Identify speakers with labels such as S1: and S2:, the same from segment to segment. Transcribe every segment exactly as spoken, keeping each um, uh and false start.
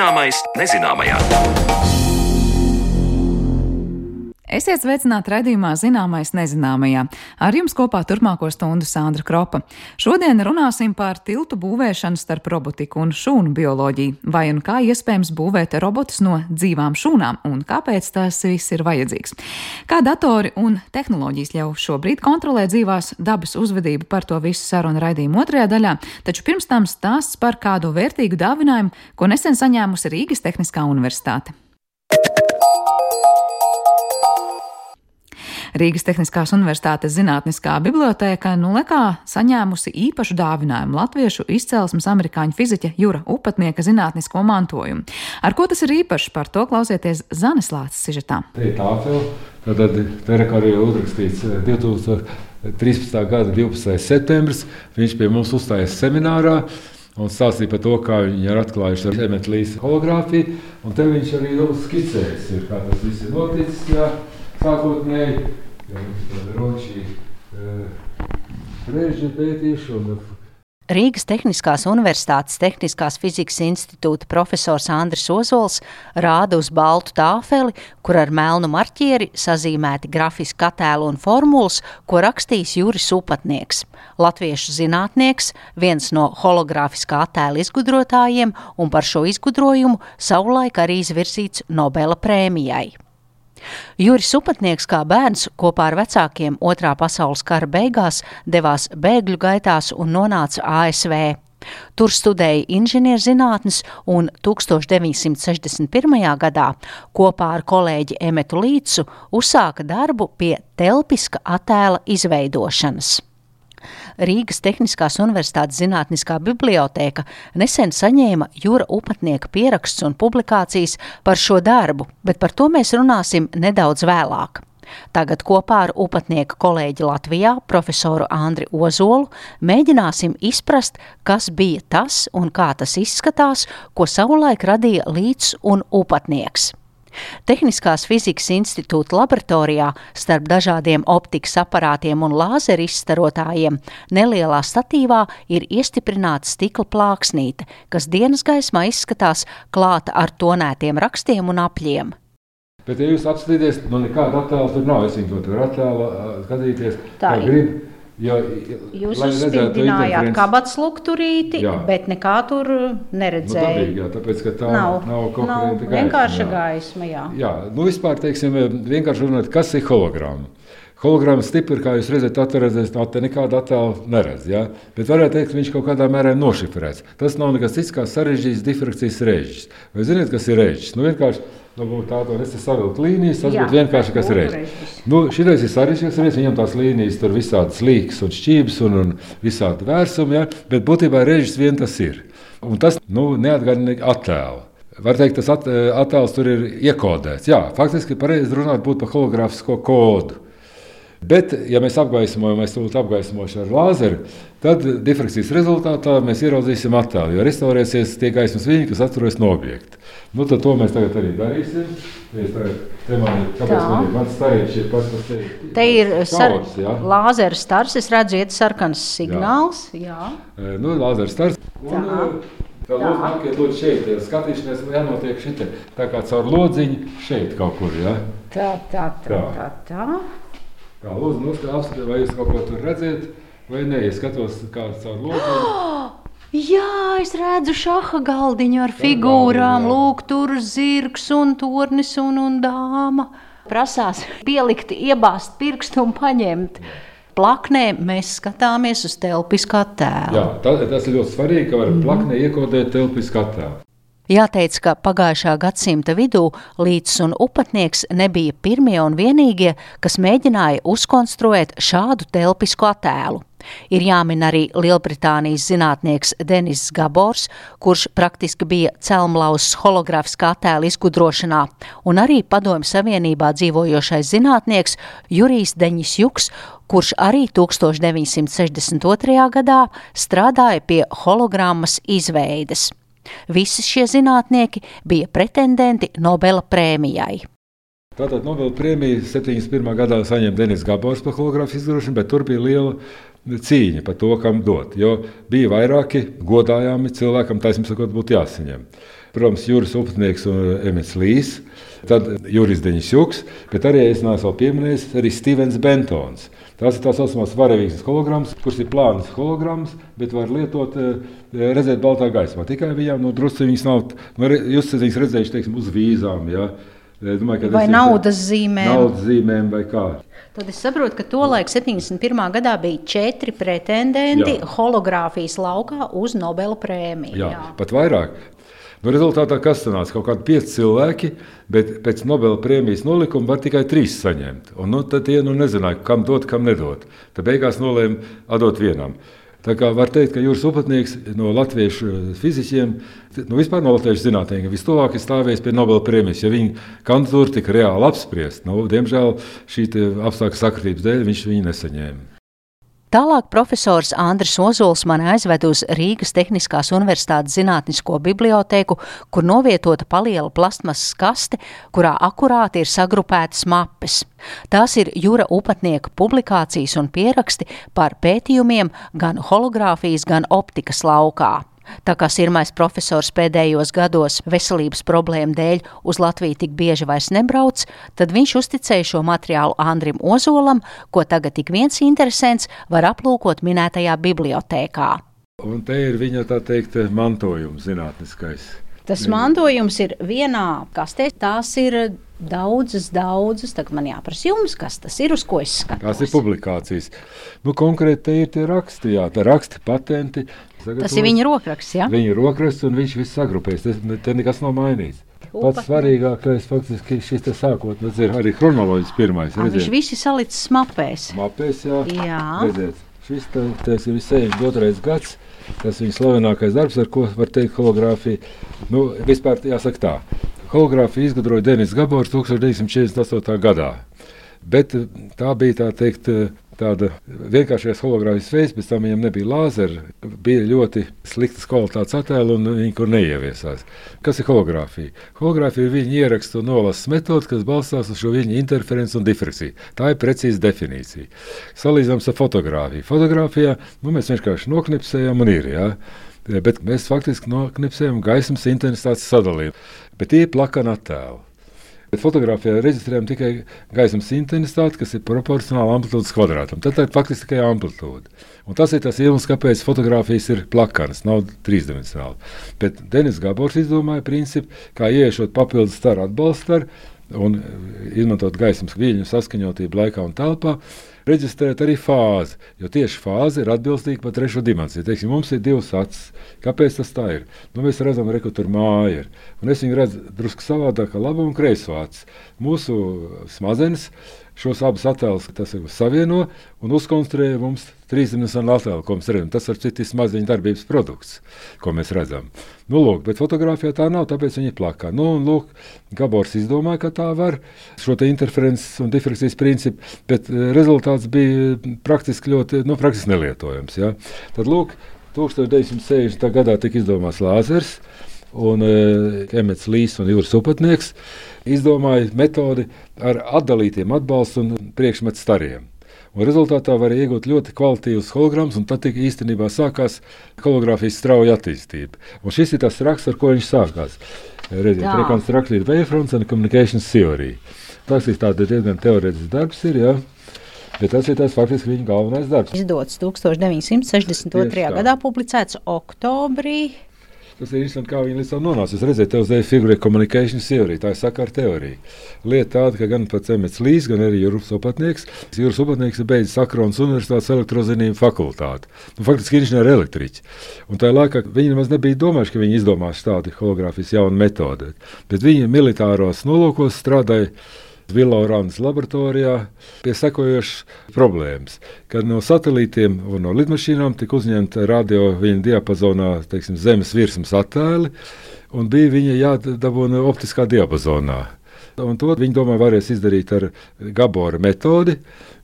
S1: Zināmais nezināmajā.
S2: Esiet sveicināti raidījumā Zināmais nezināmajā. Ar jums kopā turpmāko stundu Sandra Kropa. Šodien runāsim par tiltu būvēšanu starp robotiku un šūnu bioloģiju. Vai un kā iespējams būvēt robotus no dzīvām šūnām un kāpēc tas viss ir vajadzīgs. Kā datori un tehnoloģijas jau šobrīd kontrolē dzīvās dabas uzvedību, par to visu sarunu raidījumu otrajā daļā, taču pirms tam stāsts par kādu vērtīgu dāvinājumu, ko nesen saņēmusi Rīgas Tehniskā universitāte. Rīgas Tehniskās universitātes zinātniskā bibliotēka Nulekā saņēmusi īpašu dāvinājumu latviešu izcelsmes amerikāņu fiziķa Jura Upatnieka zinātnisko mantojumu. Ar ko tas ir īpašs, par to klausieties Zanes Lāces sižetā.
S3: Te ir tāfeli, tad te ir arī uzrakstīts divi tūkstoši trīspadsmitā gada divpadsmitais septembris. Viņš pie mums uzstājas seminārā un stāstīja par to, kā viņi ir atklājuši ar Emeta Līsa hologrāfiju. Un te viņš arī skicējis, ir, kā tas viss ir noticis, jā, sākotnēji. Ja, roči, uh, un...
S4: Rīgas Tehniskās universitātes Tehniskās fizikas institūta profesors Andris Ozols rāda uz baltu tāfeli, kur ar melnu marķieri sazīmēti grafiski attēli un formulas, ko rakstījis Juris Upatnieks, latviešu zinātnieks, viens no hologrāfiskā attēla izgudrotājiem, un par šo izgudrojumu savulaik arī izvirzīts Nobela prēmijai. Juris Upatnieks kā bērns kopā ar vecākiem otrā pasaules kara beigās devās bēgļu gaitās un nonāca A S V. Tur studēja inženierzinātnes un tūkstoš deviņsimt sešdesmit pirmajā gadā kopā ar kolēģi Emetu Līcu uzsāka darbu pie telpiska attēla izveidošanas. Rīgas Tehniskās universitātes zinātniskā bibliotēka nesen saņēma Jura Upatnieka pierakstus un publikācijas par šo darbu, bet par to mēs runāsim nedaudz vēlāk. Tagad kopā ar Upatnieka kolēģi Latvijā, profesoru Andri Ozolu, mēģināsim izprast, kas bija tas un kā tas izskatās, ko savulaik radīja Līts un Upatnieks. Tehniskās fizikas institūta laboratorijā starp dažādiem optikas aparātiem un lāzeru izstarotājiem nelielā statīvā ir iestiprināta stikla plāksnīte, kas dienas gaismā izskatās klāta ar tonētiem rakstiem un apļiem.
S3: Bet, ja jūs apskatīties, nu nekāda attēla tur nav, es viņu to attēlu skatīties,
S4: tā
S3: kā grib. Jo,
S4: jūs uzspīdinājāt kabatas lukturīti, jā, bet nekā tur neredzēja.
S3: Nu, dabīgi, jā, tāpēc, ka tā nav, nav konkurenta gaisma.
S4: Vienkārša gaisma, jā.
S3: Jā, nu vispār, teiksim, vienkārši runāt, kas ir hologrāma. Hologrāma stipri, kā jūs redzat, atveredzēs, tā te nekāda attēla neredz, jā. Bet varētu teikt, ka viņš kaut kādā mērā nošifrēts. Tas nav nekas cits kā sarežģīts difrakcijas režģis. Vai ziniet, kas ir režģis? Nu vienkārši, nu tā to es te savilkt līnijas, tas būtu vienkārši, kas ir režģis. Nu šitais ir sarežģīts režģis, viņam tās līnijas tur visādas līkas un šķības un, un visādi vērsumi, jā. Bet būtībā režģis vien tas ir. Un tas, nu, neatgādina attēlu. Var teikt, tas at, attēls tur ir iekodēts. Jā, faktiski pareizi runāt būtu par hologrāfisko kodu. Bet, ja mēs apgaismojam, mēs tūlīt apgaismošu ar lāzeru, tad difrakcijas rezultātā mēs ieraudzīsim attēlu, jo restaurēsies tie gaismas viļņi, kas atturojas no objekta. Nu, tad to mēs tagad arī darīsim. Tagad, te man ir, kāpēc man ir, mans stariņš ir pats, kas te ir.
S4: Te ir stars, ja? Lāzera stars, es redzu, iet sarkans signāls. Jā. Jā.
S3: Nu, lāzera stars. Un, tā lūdzu, nākiet lūdzu šeit, ja skatīšanās jānotiek šeit, tā kā caur lodziņu šeit kaut kur, ja?
S4: Tā, tā, tā, tā, tā.
S3: Kā lūdzu, nu, apskatīt, vai jūs kaut ko tur redzēt, vai ne, ja skatos kāds caur lodziņu.
S4: Oh, jā, es redzu šaha galdiņu ar figūrām, lūk, tur zirgs un tornis un, un dāma. Prasās pielikt, iebāzt pirkstu un paņemt. Plaknē mēs skatāmies uz telpisku attēlu.
S3: Jā, tas, tas ir ļoti svarīgi, ka var plaknē iekodēt telpisku attēlu.
S4: Jāteic, ka pagājušā gadsimta vidū Līts un Upatnieks nebija pirmie un vienīgie, kas mēģināja uzkonstruēt šādu telpisku attēlu. Ir jāmin arī Lielbritānijas zinātnieks Denis Gabors, kurš praktiski bija celmlauzs hologrāfiskā attēla izgudrošanā, un arī Padomju Savienībā dzīvojošais zinātnieks Jurijs Deņisjuks, kurš arī tūkstoš deviņsimt sešdesmit otrajā gadā strādāja pie hologrammas izveides. Visi šie zinātnieki bija pretendenti Nobela prēmijai.
S3: Tātad Nobela prēmiju septiņdesmit pirmā gadā saņem Denis Gabors par hologrāfijas izgudrošanu, bet tur bija liela cīņa par to, kam dot, jo bija vairāki godājami cilvēkam, taisnība sakot, būtu jāsaņem. Protams, Juris Upatnieks un Emets Līs, tad Juris Deņšjuks, bet arī es neesmu pieminējis arī Stevens Bentons. Tās ir tā saucamās varavīgas hologrammas, kuras ir plānas hologrammas, bet var lietot, redzēt baltā gaismā. Tikai viņām no drusku viņas nav, nu, jūs viņas redzējuši, teiksim, uz vīzām, ja? Domāju,
S4: vai naudas zīmēm.
S3: Naudas zīmēm vai kā.
S4: Tad es saprotu, ka tolaik septiņdesmit pirmā gadā bija četri pretendenti jā. hologrāfijas laukā uz Nobela prēmiju.
S3: Jā, jā. Pat vairāk. Nu, rezultātā kas sanāca? Kaut kādi pieci cilvēki, bet pēc Nobela prēmijas nolikuma var tikai trīs saņemt. Un nu, tad tie nu, nezināja, kam dot, kam nedot. Tad beigās nolēma atdot vienam. Tā kā var teikt, ka Juris Upatnieks no latviešu fiziķiem, nu vispār no latviešu zinātniekiem, vistuvāk ir stāvējis pie Nobela prēmijas, jo viņa kandidatūra tika reāli apspriest. Nu, diemžēl šī apstākļu sakritības dēļ viņš viņu nesaņēma.
S4: Tālāk profesors Andris Ozols mani aizved uz Rīgas Tehniskās Universitātes zinātnisko bibliotēku, kur novietota paliela plastmasas kaste, kurā akurāti ir sagrupētas mapes. Tās ir Jura Upatnieka publikācijas un pieraksti par pētījumiem gan hologrāfijas, gan optikas laukā. Tā kā sirmais profesors pēdējos gados veselības problēmu dēļ uz Latviju tik bieži vairs nebrauc, tad viņš uzticēja šo materiālu Andrim Ozolam, ko tagad tik viens interesants var aplūkot minētajā bibliotēkā.
S3: Un te ir viņa, tā teikt, mantojums zinātniskais.
S4: Tas mantojums ir vienā kastē, tās ir daudzas, daudzas, tagad man jāprasa jums, kas tas ir, uz ko es skatos.
S3: Tās ir publikācijas. Nu, konkrēti te ir tie raksti, jā, te raksti, patenti.
S4: Tas ir viņa rokraksts, jā?
S3: Viņa rokraksts un viņš viss sagrupēs, te, te nekas nav mainīts. Pats svarīgākais faktiski šis te sākot, nu, ir arī chronoloģis pirmais.
S4: A, viņš visi salicis mapēs.
S3: Mapēs, jā.
S4: Jā.
S3: Redziet, šis te, tas ir sešdesmit otrais gads, tas viņa slavenākais darbs, ar ko var teikt hologrāfija. Nu, vispār jāsaka tā, hologrāfiju izgudroja Denis Gabors tūkstoš deviņsimt četrdesmit astotajā gadā, bet tā bija tā teikt tāda vienkāršais hologrāfijas veids, pēc tam viņam nebija lāzeri, bija ļoti sliktas kvalitātes attēli un viņi kur neieviesās. Kas ir hologrāfija? Hologrāfija ir viņa ierakstu un nolases metode, kas balstās uz šo viņa interferenci un difrakciju. Tā ir precīza definīcija. Salīdzināms ar fotogrāfiju. Fotogrāfijā nu, mēs vienkārši noknipsējam un ir, jā. Bet mēs faktiski noknipsējam gaismas intensitātes sadalījumu. Bet tie ir plakani attēli. Bet fotogrāfijā reģistrējam tikai gaismas intensitāti, kas ir proporcionāli amplitūdas kvadrātam. Tad tā ir faktiski tikai amplitūda. Un tas ir tas iemesls, kāpēc fotogrāfijas ir plakanas, nav trīsdimensionāli. Bet Denis Gabors izdomāja principu, kā ieiešot papildus staru atbalstaru un izmantot gaismas viļņu saskaņotību laikā un telpā, reģistrēt arī fāzi, jo tieši fāze ir atbilstīga par trešo dimensiju. Teiksim, mums ir divas acis. Kāpēc tas tā ir? Nu, mēs redzam, re, ka tur māja ir. Un es viņu redzu drusku savādāk, kā labo un kreiso acis. Mūsu smadzenes šos abus attēlus savieno un uzkonstruē mums trīsdimensionālu attēlu, ko mēs redzam. Tas ar citu ir smadzeņu darbības produkts, ko mēs redzam. Nu, lūk, bet fotogrāfijā tā nav, tāpēc viņi plakā. Nu, un lūk, Gabors izdomāja, ka tā var šo te interferences un difrakcijas principu, bet rezultāts bija praktiski ļoti, nu, praktiski nelietojams, ja. Tad, lūk, tūkstoš deviņsimt sešdesmitā gadā tika izdomāts lāzers, un uh, Emets Līs un Juris Upatnieks izdomāja metodi ar atdalītiem atbalstu un priekšmetu stariem. Un rezultātā varēja iegūt ļoti kvalitīvus hologrammus, un tad tika īstenībā sākās hologrāfijas strauja attīstība. Un šis ir tas raksts, ar ko viņš sākās. Redziet, Reconstructed Wavefronts and Communications Theory. Tas ir tāds diezgan teorētisks darbs, ir, jā. Bet tas ir tas faktiski viņa galvenais darbs.
S4: Izdots tūkstoš deviņsimt sešdesmit otrajā gadā, publicēts oktobrī.
S3: Tas ir interesanti, kā viņi līdz tam nonāca. Jūs redzēt, tev uzdēja figurē communication theory, tā ir sakara teorija. Lieta tāda, ka gan pats Emets Līs, gan arī Juris Upatnieks. Juris Upatnieks ir beidzis Akronas Universitātes elektrozinību fakultāti. Nu, faktiski inženieri elektriķi. Un tajā laikā viņi nemaz nebija domājuši, ka viņi izdomās tādu hologrāfijas jaunu metodi. Bet viņi militāros nolūkos strādāja Villaurānas laboratorijā pie sekojošas problēmas, kad no satelītiem un no lidmašīnām tika uzņemta radio viņa diapazonā, teiksim, zemes virsmas attēli, un bija viņa jādabūna optiskā diapazonā. Un to viņi domāja varēs izdarīt ar Gabora metodi,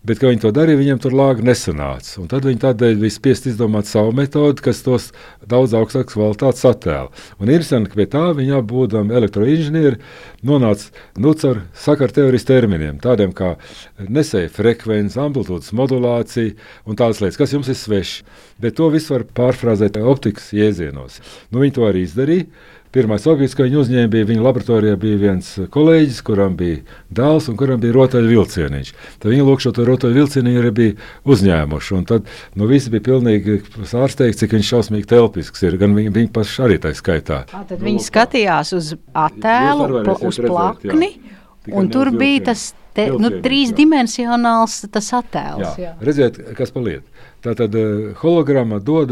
S3: bet, kad viņi to darīja, viņiem tur lāga nesanāca. Un tad viņi tādēļ bija spiest izdomāt savu metodi, kas tos daudz augstākas kvalitātes attēlu. Un interesanti, ka pie tā viņi būdami elektroinženieri nonāca nu, caur sakara teorijas terminiem, tādiem kā nesēja frekvence, amplitūdas modulācija un tādas lietas, kas jums ir sveši. Bet to visu var pārfrāzēt optikas jēzienos. Nu, viņi to arī izdarīja. Pirmais objekts, ko viņi uzņēma, bija viņa laboratorijā bija viens kolēģis, kuram bija dēls un kuram bija rotaļvilcieniņš. Tad viņi lūk šo rotaļvilcieniņu arī bija uzņēmuši. Un tad nu, visi bija pilnīgi ārsteigti, cik viņš šausmīgi telpisks ir. Gan viņi, viņi paši arī tā skaitā.
S4: Tā, tad viņi skatījās uz attēlu, pl uz plakni, jā. Un tur bija tas te, nu, trīsdimensionāls tas attēls.
S3: Jā. Jā. Redziet, kas pa lietu. Tātad hologramma dod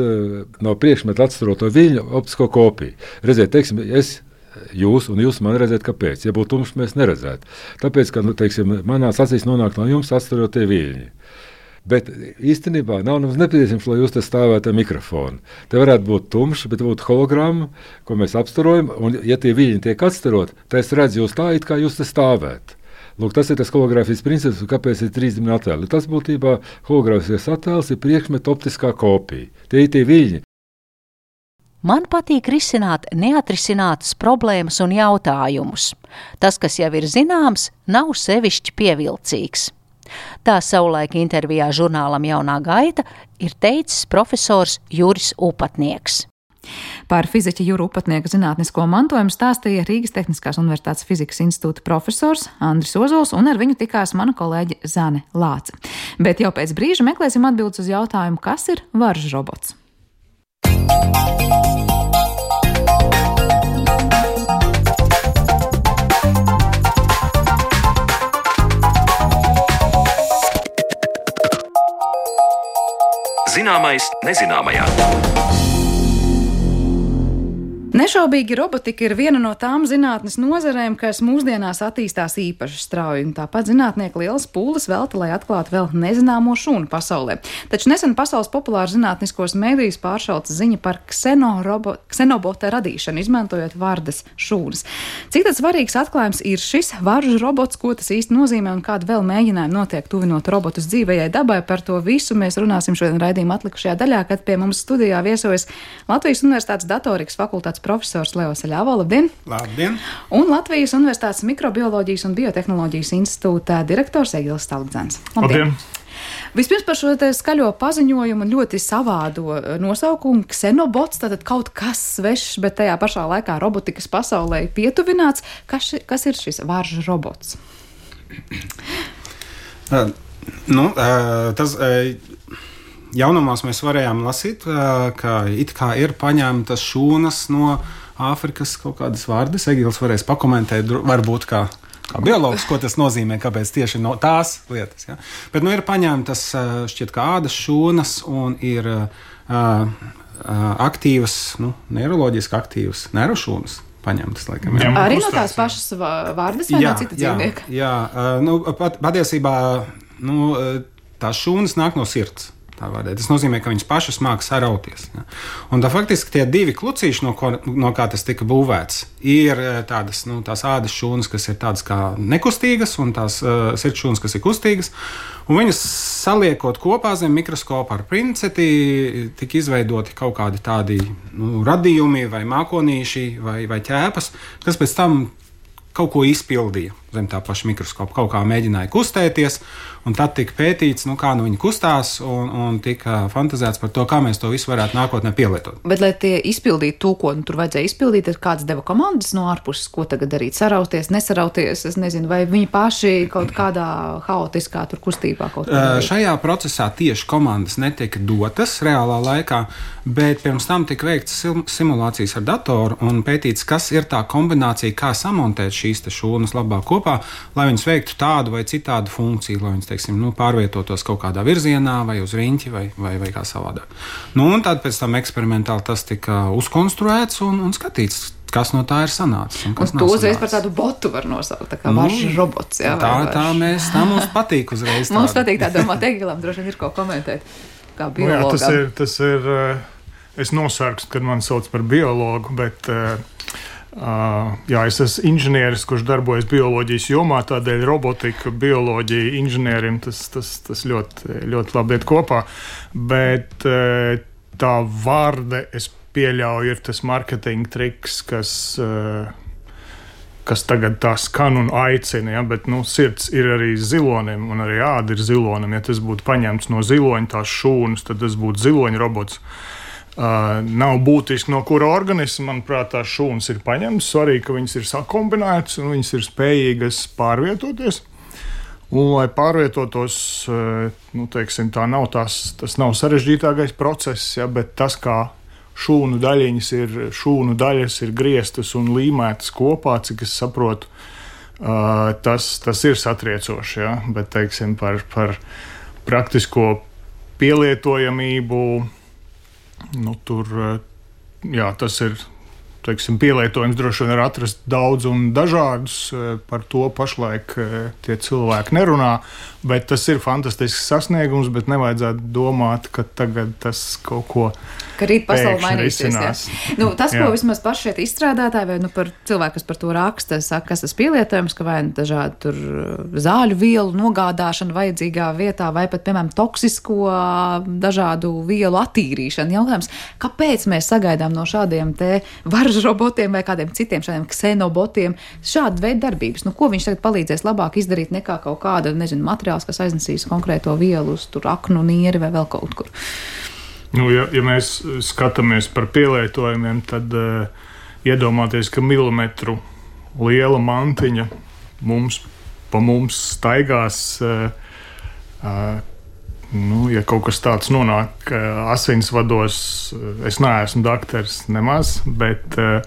S3: no priekšmeta atstaroto viļņu optisko kopiju. Redziet, teiksim, es jūs un jūs man redzēt, kāpēc. Ja būtu tumšs, mēs neredzētu. Tāpēc, ka, nu, teiksim, manās acīs nonāk no jums atstarotie viļņi. Bet īstenībā nav mums nepieciešams, lai jūs te stāvētu ar mikrofonu. Te varētu būt tumšs, bet būtu hologramma, ko mēs apstarojam, un ja tie viļņi tiek atstarot, tad es redzu jūs tā, it kā jūs te stāvētu. Lūk, tas ir tas hologrāfijas princips, kāpēc ir trīsdimensionāli attēli. Tas būtībā hologrāfijas attēls ir priekšmeta optiskā kopija. Tie ir tie viļņi.
S4: Man patīk risināt neatrisinātas problēmas un jautājumus. Tas, kas jau ir zināms, nav sevišķi pievilcīgs. Tā savulaik intervijā žurnālam Jaunā gaita ir teicis profesors Juris Upatnieks.
S2: Par fiziķa Jura Upatnieka zinātnisko mantojumu stāstīja Rīgas Tehniskās Universitātes Fizikas institūta profesors Andris Ozols, un ar viņu tikās mana kolēģe Zane Lāce. Bet jau pēc brīža meklēsim atbildes uz jautājumu, kas ir varžu robots.
S1: Zināmais nezināmajā.
S2: Nešaubīgi robotika ir viena no tām zinātnes nozarēm, kas mūsdienās attīstās īpaši strauji, un tāpat zinātnieki lielas pūles velta, lai atklātu vēl nezināmo šūnu pasaulē. Taču nesen pasaules populāru zinātniskos mēdījus pāršauca ziņa par ksenorobo, ksenobota radīšanu, izmantojot vardas šūnas. Cik tad svarīgs atklājums ir šis varžu robots, ko tas īsti nozīmē un kāda vēl mēģinājuma notiek tuvinot robotus dzīvajai dabai? Par to visu mēs runāsim šodien raidījuma atlikušajā daļā, kad pie mums studijā viesojas Latvijas Universitātes datorikas fakultātes profesors Leo Saļāvo. Labdien!
S5: Labdien!
S2: Un Latvijas Universitātes Mikrobioloģijas un Biotehnoloģijas institūta direktors Egils Staldzens.
S5: Labdien!
S2: Vispirms par šo te skaļo paziņojumu ļoti savādo nosaukumu ksenobots, tātad kaut kas svešs, bet tajā pašā laikā robotikas pasaulē pietuvināts. Kas, kas ir šis varžu robots?
S5: Uh, nu, uh, tas... Uh, Jaunumos mēs varējām lasīt, ka it kā ir paņemtas šūnas no Āfrikas kaut kādas vārdas. Egils varēs pakomentēt, varbūt kā, kā biologs, ko tas nozīmē, kāpēc tieši no tās lietas. Ja? Bet nu ir paņemtas šķiet kā ādas šūnas un ir uh, aktīvas, nu, neiroloģiski aktīvas nervošūnas. Paņemtas, laikam, jā.
S2: Arī no tās pašas vārdas vai jā, no cita dzīvnieka?
S5: Jā, jā, nu, pat, patiesībā nu, tās šūnas nāk no sirds. Tas nozīmē, ka viņas pašas māca sarauties. Ja? Un tā faktiski tie divi klucīši, no, ko, no kā tas tika būvēts, ir tādas, nu, tās ādas šūnas, kas ir tādas kā nekustīgas, un tās uh, sirds šūnas, kas ir kustīgas. Un viņas saliekot kopā zem mikroskopa ar princeti, tika izveidoti kaut kādi tādi nu, radījumi vai mākonīši vai, vai ķēpas, kas pēc tam kaut ko izpildīja zem tā paša mikroskopa, kaut kā mēģināja kustēties, un tad tika pētīts, nu, kā nu viņi kustās, un, un tika fantazēts par to, kā mēs to visu varētu nākotnē pielietot.
S2: Bet, lai tie izpildītu to, ko nu, tur vajadzēja izpildīt, ir kāds deva komandas no ārpuses, ko tagad darīt, sarauties, nesarauties, es nezinu, vai viņi paši kaut kādā haotiskā tur kustībā kaut kā darīt?
S5: Šajā procesā tieši komandas netika dotas reālā laikā, bet pirms tam tika veikts simulācijas ar datoru un pētīts, kas ir tā kombinācija, kā samontēt šīs te šūnas labāk kopā, lai viņas veiktu tādu vai citādu funkciju, lai viņas, teiksim, nu, pārvietotos kaut kādā virzienā vai uz riņķi vai, vai, vai kā savādāk. Nu, un tad pēc tam eksperimentāli tas tika uzkonstruēts un, un skatīts, kas no tā ir sanācis. Un,
S2: un to uzreiz par tādu botu var nosaukt, tā kā nu, varžu robots. Jā,
S5: tā, tā, mēs, tā mums patīk uzreiz. Tādu.
S2: Mums patīk tā domāt, Egilam droši vien ir ko komentēt, kā biologam.
S6: Nu, jā, tas ir, tas ir, es nosargstu, kad man sauc par biologu, bet... Uh, jā, es esmu inženieris, kurš darbojas bioloģijas jomā, tādēļ robotika, bioloģija, inženierim tas, tas, tas ļoti, ļoti labi iet kopā. Bet uh, tā vārde, es pieļauju, ir tas marketinga triks, kas, uh, kas tagad tā skan un aicina, ja? Bet nu, sirds ir arī zilonim un arī āda ir zilonim. Ja tas būtu paņemts no ziloņa tās šūnas, tad tas būtu ziloņa robots. Uh, nav būtiski no kura organisma, manuprāt, tās šūnas ir paņemtas. Svarīgi, ka viņas ir sakombinētas un viņas ir spējīgas pārvietoties. Un, lai pārvietotos, nu, teiksim, tā nav tās, tas nav sarežģītākais process, ja, bet tas, kā šūnu daļiņas ir, šūnu daļas ir grieztas un līmētas kopā, cik es saprotu, uh, tas, tas ir satriecoši, ja, bet, teiksim, par, par praktisko pielietojamību, nu, tur, jā, tas ir, teiksim, pielietojums droši vien var atrast daudz un dažādus, par to pašlaik tie cilvēki nerunā, bet tas ir fantastisks sasniegums, bet nevajadzētu domāt, ka tagad tas kaut ko
S2: ka rīt pasauli mainīsies. Ja? Nu, tas,
S6: jā.
S2: Ko vismaz paši šeit izstrādātāji, vai nu par cilvēku, kas par to raksta, saka, kas tas pielietojums, ka vai dažādi tur zāļu vielu nogādāšana vajadzīgā vietā, vai pat, piemēram, toksisko dažādu vielu attīrīšana. Jautājums, kāpēc mēs sagaidām no šādiem te varžu robotiem vai kādiem citiem šādiem ksenobotiem šādu veidu darbības? Nu, ko viņš tagad palīdzēs labāk izdarīt nekā kaut kāda, nezinu, materiāls, kas aiznesīs konkrēto vielu uz tur aknu, nieri vai vēl kaut kur?
S6: Nu, ja, ja mēs skatāmies par pielietojumiem, tad uh, iedomāties, ka milimetru liela mantiņa mums, pa mums staigās, uh, uh, nu, ja kaut kas tāds nonāk uh, asinsvados, uh, es neesmu dakteris nemaz, bet uh,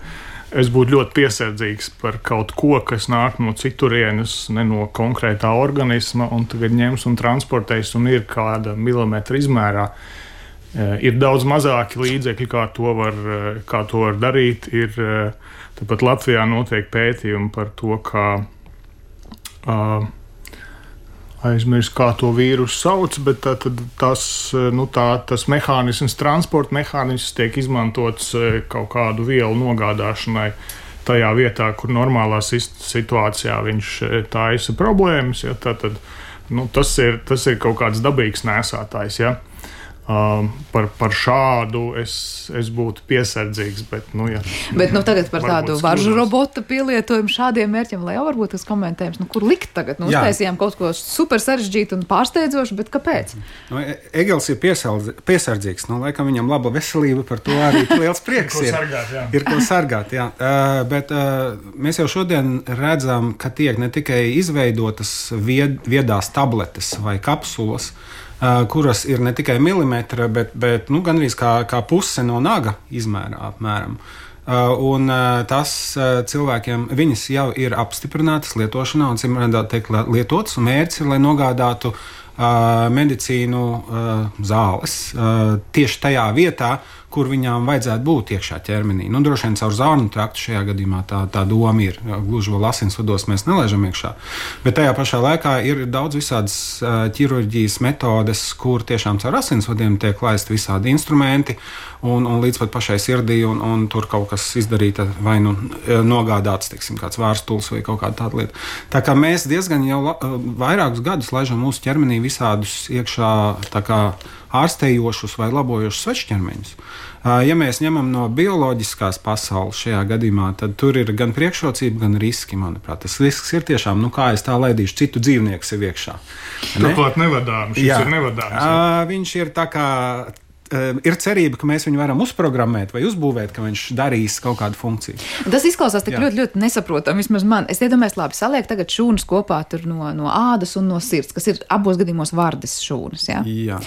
S6: es būtu ļoti piesardzīgs par kaut ko, kas nāk no citurienes, ne no konkrētā organisma, un tagad ņems un transportēs un ir kāda milimetra izmērā. Ir daudz mazāki līdzekļi, kā to var, kā to var darīt. Ir, tāpat Latvijā notiek pētījumi par to, kā uh, aizmirst, kā to vīrusu sauc, bet tā, tad, tas, nu, tā, tas mehānisms, transporta mehānisms tiek izmantots kaut kādu vielu nogādāšanai tajā vietā, kur normālā situācijā viņš taisa problēmas. Ja, tā, tad, nu, tas, ir, tas ir kaut kāds dabīgs nēsātājs. Ja. Um, par, par šādu es, es būtu piesardzīgs, bet, nu, ja.
S2: Bet, nu, tagad par tādu varžu robota pielietojumu šādiem mērķiem, lai jau varbūt tas komentējums, nu, kur likt tagad? Nu, uztaisījām kaut ko super sarežģītu un pārsteidzošu, bet kāpēc?
S5: Nu, Egels ir piesardzīgs, nu, laikam viņam laba veselība, par to arī liels prieks ir.
S6: Sargāt, jā.
S5: Ir ko sargāt, jā. Uh, bet uh, mēs jau šodien redzam, ka tiek ne tikai izveidotas vied, viedās tabletes vai kapsulas, Uh, kuras ir ne tikai milimetra, bet, bet nu, gandrīz kā, kā puse no naga izmērā apmēram. Uh, un uh, tas uh, cilvēkiem, viņas jau ir apstiprinātas lietošanā un, cim redzēt, tiek lietotas, un mērķis ir, lai nogādātu uh, medicīnu uh, zāles uh, tieši tajā vietā, kur viņām vajadzētu būt iekšā ķermenī. Nu, droši vien caur zārnu traktu šajā gadījumā tā, tā doma ir. Gluži vēl asinsvados mēs nelaižam iekšā. Bet tajā pašā laikā ir daudz visādas uh, ķirurģijas metodes, kur tiešām caur asinsvadiem tiek laist visādi instrumenti un, un līdz pat pašai sirdī, un, un tur kaut kas izdarīta vai nu nogādāts, teiksim, kāds vārstuls vai kaut kāda tāda lieta. Tā kā mēs diezgan jau la, vairākus gadus laižam mūsu ķermenī visādus iekšā tā kā ārstējošus vai labojošus svešķermeņus. Ja mēs ņemam no bioloģiskās pasaules šajā gadījumā, tad tur ir gan priekšrocība, gan riski, manuprāt. Tas risks ir tiešām, nu kā es tā laidīšu, citu dzīvnieku sev iekšā. Ne?
S6: Turklāt nevadāms, šis
S5: Jā.
S6: ir nevadāms.
S5: Jā. Viņš ir tā kā... Ir cerība, ka mēs viņu varam uzprogrammēt vai uzbūvēt, ka viņš darīs kaut kādu funkciju.
S2: Tas izklausās tik ļoti, ļoti nesaprotami. Vismaz man. Es iedomājos, labi, saliek tagad šūnas kopā no, no ādas un no sirds, kas ir abos gadījumos vardes šūnas. Ja?
S5: Jā.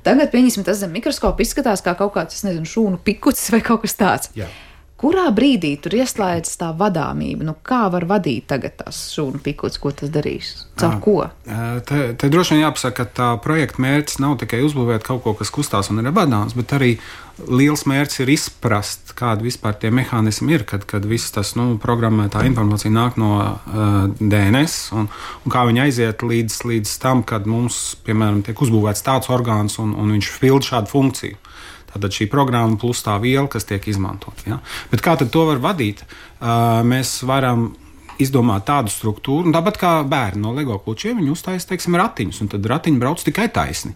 S2: Tagad, pieņemsim, tas zem mikroskopa izskatās kā kaut kāds, es nezinu, šūnu pikucis vai kaut kas tāds.
S5: Jā.
S2: Kurā brīdī tur ieslēdzas tā vadāmība? Nu, kā var vadīt tagad tās šūnu pikucis, ko tas darīs? Caur ko?
S5: Te, te droši vien jāpasaka, ka tā projekta mērķis nav tikai uzbūvēt kaut ko, kas kustās un ir vadāms, bet arī liels mērķis ir izprast, kāda vispār tie mehānismi ir, kad, kad viss tas, nu, programmētā informācija nāk no uh, D N S un, un kā viņi aiziet līdz, līdz tam, kad mums, piemēram, tiek uzbūvēts tāds orgāns un, un viņš pild šādu funkciju. Tātad šī programma plus tā viela, kas tiek izmantot. Ja? Bet kā tad to var vadīt? Uh, mēs varam izdomāt tādu struktūru, un tāpat kā bērni no Lego klučiem, viņi uztaisa, teiksim, ratiņus, un tad ratiņi brauc tikai taisni.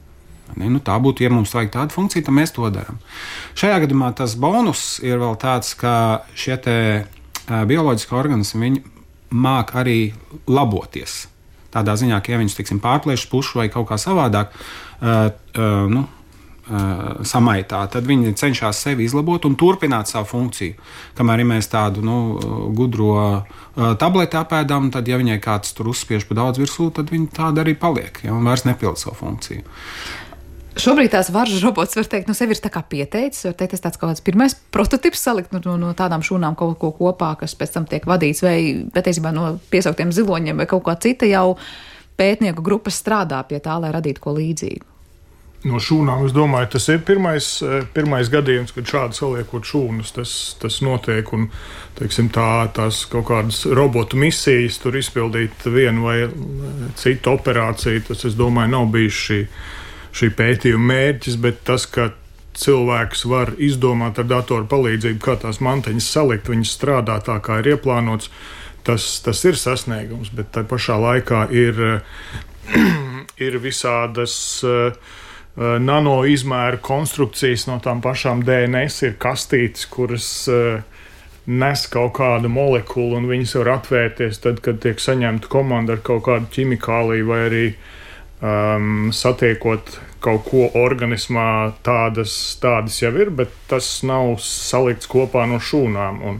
S5: Ne? Nu, tā būtu, ja mums vajag tādu funkciju, tad mēs to darām. Šajā gadījumā tas bonus ir vēl tāds, ka šie te uh, bioloģiski organismi, viņi māk arī laboties. Tādā ziņā, ka ja viņus, teiksim, pārplēš pušu vai kaut kā savādāk, uh, uh, nu, uh, samaitā, tad viņi cenšas sevi izlabot un turpināt savu funkciju. Kamēr ja mēs tādu nu, gudro uh, tableti apēdam, tad, ja viņai kāds tur uzspiež pa daudz virsū, tad viņa tāda arī paliek, ja, un vairs nepilda savu funkciju.
S2: Šobrīd tās varžu robots, var teikt, no sevi ir tā kā pieteicis, var teikt, tas tāds kaut kāds pirmais prototips salikt no, no tādām šūnām kaut ko kopā, kas pēc tam tiek vadīts, vai patiesībā no piesauktiem ziloņiem vai kaut kā cita jau pētnieku grupas strādā pie tā, lai radītu ko līdzīgu.
S6: No šūnām, es domāju, tas ir pirmais, pirmais gadījums, kad šādi saliekot šūnas, tas, tas notiek, un, teiksim, tā, tās kaut kādas robotu misijas tur izpildīt vienu vai citu operāciju, tas, es domāju, nav bijis šī šī pētījuma mērķis, bet tas, ka cilvēks var izdomāt ar datoru palīdzību, kā tās mantiņas salikt, viņas strādā tā, kā ir ieplānots, tas, tas ir sasniegums, bet tā pašā laikā ir, ir visādas uh, nano izmēru konstrukcijas no tām pašām D N S, ir kastītes, kuras uh, nes kaut kādu molekulu, un viņas var atvērties tad, kad tiek saņemta komanda ar kaut kādu ķimikāliju vai arī Um, satiekot kaut ko organismā, tādas, tādas jau ir, bet tas nav salikts kopā no šūnām. Un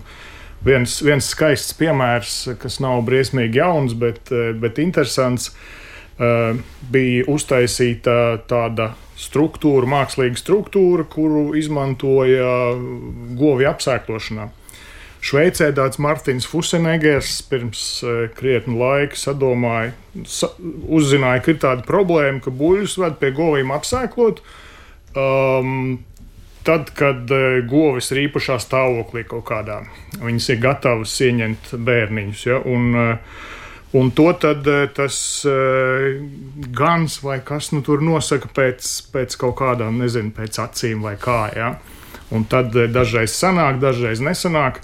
S6: viens, viens skaists piemērs, kas nav briesmīgi jauns, bet, bet interesants, uh, bija uztaisīta tāda struktūra, mākslīga struktūra, kuru izmantoja govju apsēklošanā. Šveicē tāds Martins Fusenegers pirms uh, krietni laika sadomāja, sa, uzzināja, ka ir tāda problēma, ka buļļus ved pie govīm apsēklot, um, tad, kad uh, govis ir īpašā stāvoklī kaut kādā. Viņas ir gatavas ieņemt bērniņus, ja, un, uh, un to tad uh, tas uh, gans vai kas nu tur nosaka pēc, pēc kaut kādām, nezinu, pēc acīm vai kā, ja. Un tad uh, dažreiz sanāk, dažreiz nesanāk.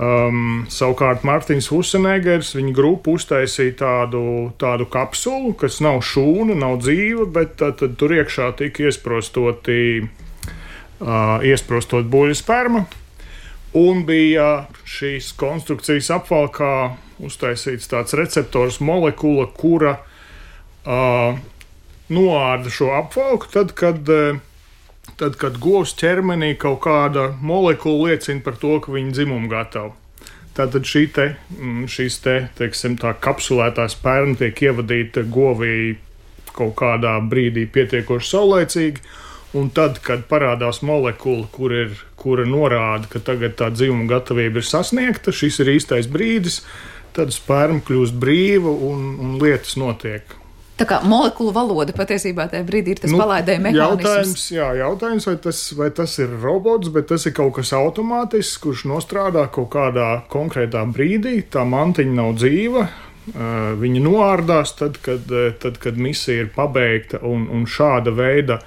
S6: Um, savukārt Martins Fusenegers, viņa grupa uztaisīja tādu, tādu kapsulu, kas nav šūna, nav dzīva, bet tad, tad tur iekšā tika iesprostoti, uh, iesprostot buļļu sperma, un bija šīs konstrukcijas apvalkā uztaisīts tāds receptors molekula, kura uh, noārda šo apvalku, tad, kad uh, Tad, kad govs ķermenī kaut kāda molekula liecina par to, ka viņa dzimuma gatava. Tātad šī te, šīs te, teiksim, tā kapsulētā sperma tiek ievadīta govī kaut kādā brīdī pietiekoši saulaicīgi, un tad, kad parādās molekula, kur ir, kura norāda, ka tagad tā dzimuma gatavība ir sasniegta, šis ir īstais brīdis, tad sperma kļūst brīva un, un lietas notiek.
S2: Tā kā molekulu valoda patiesībā tajā brīdī ir tas nu, palaidēja mehānisms.
S6: Jautājums, jā, jautājums vai, tas, vai tas ir robots, bet tas ir kaut kas automātisks, kurš nostrādā kaut kādā konkrētā brīdī. Tā mantiņa nav dzīva, viņa noārdās tad, kad, tad, kad misija ir pabeigta, un, un šāda veida,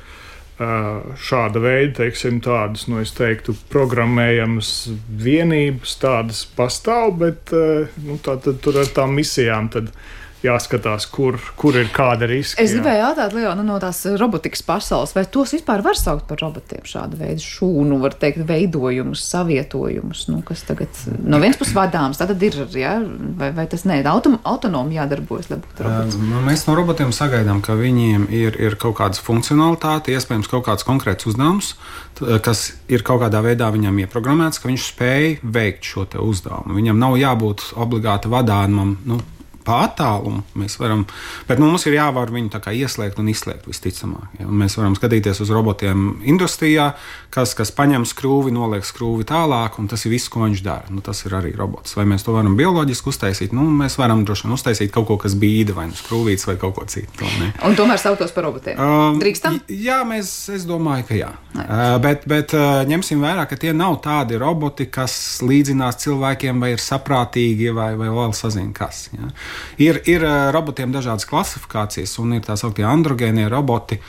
S6: šāda veida, teiksim, tādas, nu, es teiktu, programmējamas vienības tādas pastāv, bet nu, tā, tad tur ar tām misijām tad jāskatās, kur, kur ir kāda riska.
S2: Es gribēju jautāt, Leo, no tās robotikas pasaules, vai tos vispār var saukt par robotiem, šāda veida šūnu, var teikt, veidojumus, savietojumus, nu, kas tagad no viens puses vadāms, tad ir, ja? vai, vai tas ne, autom, autonomi jādarbojas, lai būtu robots?
S5: Mēs no robotiem sagaidām, ka viņiem ir, ir kaut kādas funkcionalitāte, iespējams kaut kāds konkrēts uzdevums, kas ir kaut kādā veidā viņam ieprogrammēts, ka viņš spēj veikt šo te uzdevumu. Viņam nav jābūt obligāti vadāmam, nu, pa attālumu mēs varam, bet nu, mums ir jāvar viņu tā kā ieslēgt un izslēgt visticamāk. Ja? Un mēs varam skatīties uz robotiem industrijā, kas, kas paņem skrūvi, noliek skrūvi tālāk, un tas ir viss, ko viņš dara. Nu, tas ir arī robots. Vai mēs to varam bioloģiski uztaisīt? Nu, mēs varam droši vien uztaisīt kaut ko, kas bīda, vai nu skrūvīts, vai kaut ko citu. Ne?
S2: Un tomēr sauktos par robotiem? Um, Drīkstam?
S5: Jā, mēs, es domāju, ka jā. Uh, bet bet uh, ņemsim vērā, ka tie nav tādi roboti, kas līdzinās cilvēkiem, vai ir saprātīgi, vai, vai vēl sazina kas. Ja? Ir, ir robotiem dažādas klasifikācijas, un ir tā sauktie androgēnie roboti,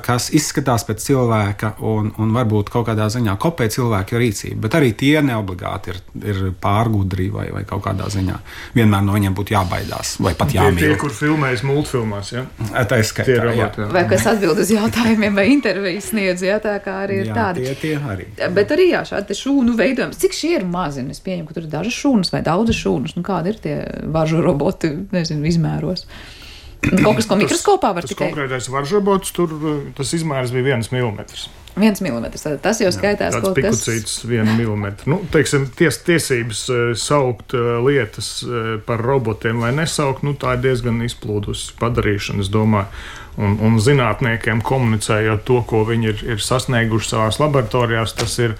S5: kas izskatās pēc cilvēka un, un varbūt kaut kādā ziņā kopē cilvēka rīcību, bet arī tie neobligāti ir, ir pārgudri vai, vai kaut kādā ziņā. Vienmēr no viņiem būtu jābaidās vai pat jāmīl.
S6: Tie, tie kur filmējas multfilmās, ja?
S5: Tā ir skaitā,
S6: roboti,
S5: jā.
S2: Vai kas atbild uz jautājumiem vai intervijas sniedz, jā, tā kā arī ir
S5: jā,
S2: tādi.
S5: Tie, tie arī.
S2: Bet arī, jā, šādi šūnu veidojums. Cik šie ir mazi? Es pieņemu, ka tur ir dažas šūnas vai daudzas šūnas. Nu, kādi ir tie varžu roboti, nezinu, izmēros? Kaut kas, ko mikroskopā var
S6: tas
S2: tikai?
S6: Tas konkrētais varžrobots, tur tas izmērs bija viens milimetrs.
S2: Viens milimetrs, tas jau skaitās
S6: kaut kas. Tāds pikucīts viena milimetra. Nu, teiksim, ties, tiesības saukt lietas par robotiem vai nesaukt, nu, tā ir diezgan izplūdusi padarīšana, es domāju. Un, un zinātniekiem komunicējot to, ko viņi ir, ir sasnieguši savās laboratorijās, tas ir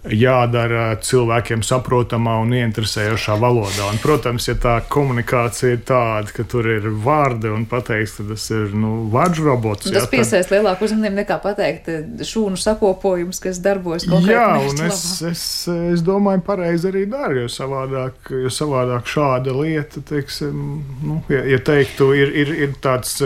S6: jādara cilvēkiem saprotamā un ieinteresējošā valodā. Un, protams, ja tā komunikācija ir tāda, ka tur ir vārdi un pateiks, ka tas ir nu, vārds robots.
S2: Tas piesaist tad... lielāku uzmanību nekā pateikt šūnu sakopojums, kas darbojas konkrēti.
S6: Jā, un es, es, es domāju, pareizi arī daru, jo savādāk, jo savādāk šāda lieta, teiksim, nu, ja, ja teiktu, ir, ir, ir tāds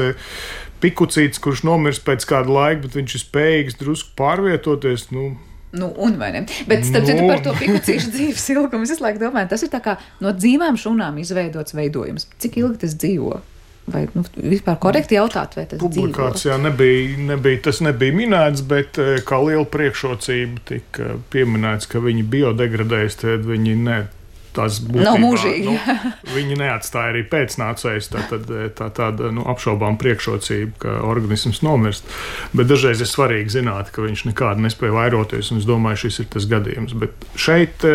S6: pikucīts, kurš nomirst pēc kāda laika, bet viņš ir spējīgs drusku pārvietoties, nu,
S2: Nu, un vai ne? Bet, starp citu,
S6: nu...
S2: par to pikucīšu dzīves ilgumu, es visu laiku domāju, tas ir tā kā no dzīvām šūnām izveidots veidojums. Cik ilgi tas dzīvo? Vai nu, vispār korekti jautāt, vai tas
S6: Publikācijā dzīvo? Nebija, nebija, tas nebija minēts, bet kā liela priekšrocība tika pieminēts, ka viņi biodegradējas, tad viņi ne. Tas būtībā,
S2: nav mūžīgi.
S6: Nu, viņi neatstāja arī pēcnācējus, tā, tā, tā tāda nu, apšaubām priekšrocība, ka organisms nomirst. Bet dažreiz ir svarīgi zināt, ka viņš nekādi nespēja vairoties, un es domāju, šis ir tas gadījums. Bet šeit,